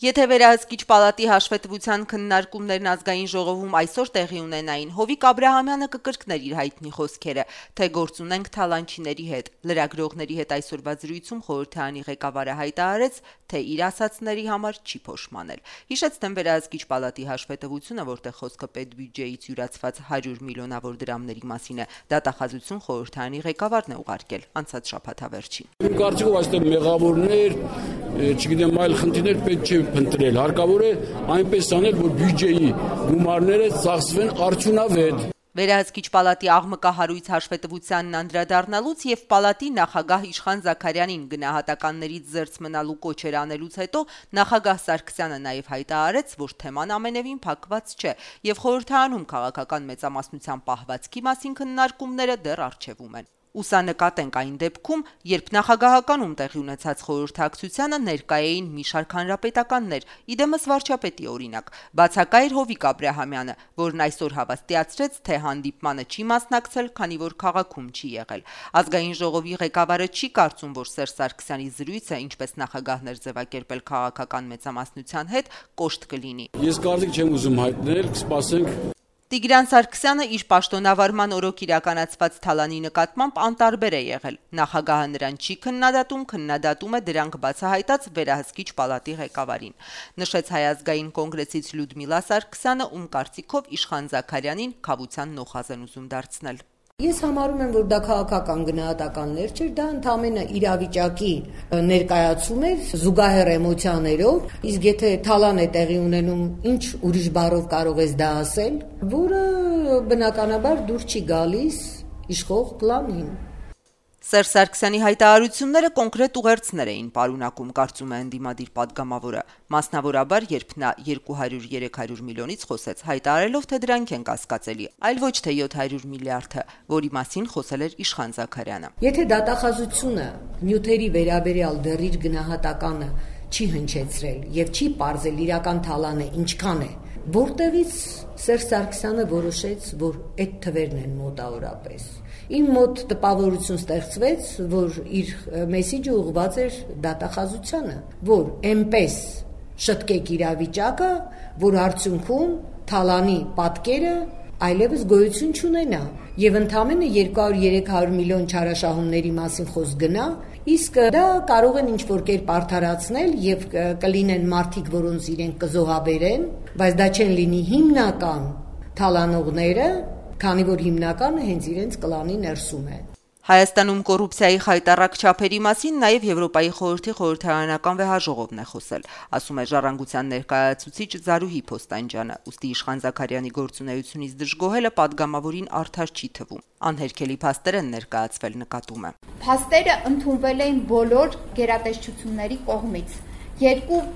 Եթե վերահսկիչ պալատի հաշվետվության քննարկումներն ազգային ժողովում այսօր տեղի ունենային, Հովիկ Աբրահամյանը կկրկներ իր հայտնի խոսքերը, թե գործ ունենք թալանչիների հետ։ Լրագրողների հետ այսօրվա զրույցում խորհրդարանի ղեկավարը հայտարարեց, թե իր ասածների համար չի փոշմանել։ Հիշեցնեմ վերահսկիչ պալատի հաշվետվությունը, որտեղ խոսքը պետբյուջեից յուրացված 100 միլիոնավոր դրամների մասին է, դատախազություն խորհրդարանի ղեկավարն է ուղարկել անցած շաբաթավերջին։ Իմ կարծիքով այստեղ մեղավորներ, չգիտեմ, այլ խնդիրներ պետք չէ փնտրել, հարկավոր է այնպես անել, որ բյուջեի գումարները ծախսվեն արդյունավետ։ Վերահսկիչ պալատի աղմկահարույց հաշվետվությանն անդրադառնալուց եւ պալատի նախագահ Իշխան Զաքարյանին գնահատականներից զերծ մնալու կոչեր անելուց հետո նախագահ Սարգսյանը նաեւ հայտարարեց, որ թեման ամենևին փակված չէ եւ խորհրդարանում քաղաքական մեծամասնության պահվածքի մասին քննարկումները դեռ առջևում են։ Ուսանկատենք այն դեպքում, երբ նախագահականում տեղի ունեցած խորհրդակցությանը ներկայ էին մի շարք հանրապետականներ, իդեմս վարչապետի օրինակ, բացակայր Հովիկ Աբրահամյանը, որն այսօր հավաստիացրեց, թե հանդիպմանը չի մասնակցել, քանի որ քաղաքում չի եղել։ Ազգային ժողովի ղեկավարը չի կարծում, որ Սերժ Սարգսյանի զրույցը, ինչպես նախագահներ ձևակերպել քաղաքական մեծամասնության հետ, կոշտ կլինի։ Ես կարծիք չեմ ուզում հայտնել, կսպասենք։ Տիգրան Սարգսյանը իր պաշտոնավարման օրոք իրականացված թալանի նկատմամբ անտարբեր է եղել։ Նախագահը նրան չի քննադատում է դրանք բացահայտած վերահսկիչ պալատի ղեկավարին։ Նշեց Հայ ազգային կոնգրեսից Լյուդմիլա Սարգսյանը, ում կարծիքով Իշխան Զաքարյանին քավության նոխազ են ուզում դարձնել։ Ես համարում եմ, որ դա քաղաքական գնահատականներ չէր, դա ընդհանրապես իրավիճակի ներկայացում էր զուգահեռ էմոցիաներով, իսկ եթե թալան է տեղի ունենում, ինչ ուրիշ բառով կարող ես դա ասել, որը բնականաբար դուր չի գալիս իշխող պլանին։ Սերժ Սարգսյանի հայտարարությունները կոնկրետ ուղերձներ էին պարունակում, կարծում է ընդդիմադիր պատգամավորը, մասնավորաբար, երբ նա 200-300 միլիոնից խոսեց, հայտարարելով, թե դրանք են կասկածելի, այլ ոչ թե 700 միլիարդը, որի մասին խոսել էր Իշխան Զաքարյանը։ Եթե դատախազությունը նյութերի վերաբերյալ դեռ իր գնահատականը չի հնչեցրել եւ չի պարզել իրական թալանը ինչքան է, որտեղից Սերժ Սարգսյանը որոշեց, որ այդ թվերն են մոտավորապես։ Իմ մոտ տպավորություն ստեղծվեց, որ իր մեսիջը ուղղված էր դատախազությանը, որ այնպես շտկեք իրավիճակը, որ արդյունքում թալանի պատկերը այլևս գոյություն չունենա եւ ընդամենը 200-300 միլիոն չարաշահումների մասին խոսք գնա, իսկ դա կարող են ինչ-որ կերպ արդարացնել եւ կլինեն մարդիկ, որոնց իրենք կզոհաբերեն, բայց դա չեն լինի հիմնական թալանողները, քանի որ հիմնականը հենց իրենց կլանի ներսում է։ Հայաստանում կոռուպցիայի խայտառակ չափերի մասին նաև Եվրոպայի խորհրդի խորհրդարանական վեհաժողովն է խոսել, ասում է Ժառանգության ներկայացուցիչ Զարուհի Փոստանջյանը, ուստի Իշխան Զաքարյանի գործունեությունից դժգոհելը падգամավորին արդար չի թվում։ Անհերքելի փաստեր են ներկայացվել, նկատում է։ Փաստերը ընդունվել էին բոլոր գերատեսչությունների կողմից։ Երկու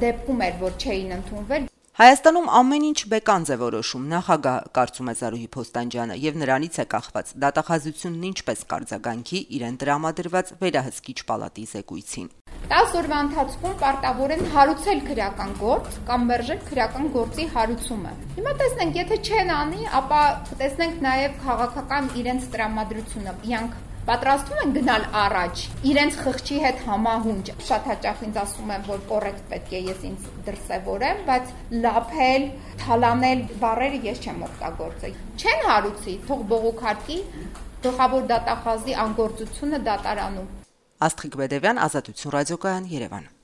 դեպքում էր, որ չէին ընդունվել։ Հայաստանում ամեն ինչ բեկանձ է որոշում, նախագահ, կարծում է Զարուհի Փոստանջյանը, եւ նրանից է կախված դատախազությունն ինչպես կարձագանքի իրեն տրամադրված վերահսկիչ պալատի զեկույցին։ 10 օրվա ընթացքում պարտավոր են հարուցել քրեական գործ կամ մերժել քրեական գործի հարուցումը։ Հիմա տեսնենք, եթե չեն անի, ապա տեսնենք նաեւ քաղաքական իրենց տրամադրությունը։ Իրանք պատրաստվում են գնալ առաջ, իրենց խղճի հետ համահունչ։ Շատ հաճախ ինձ ասում են, որ կոռեկտ պետք է ես ինձ դրսևորեմ, բայց լափել, թալանել բառերը ես չեմ օգտագործել։ Չեն հարուցի, թող բողոքարկի գլխավոր դատախազի անգործությունը դատարանում։ Աստղիկ Բեդևյան, Ազատություն ռադիոկայան, Երևան։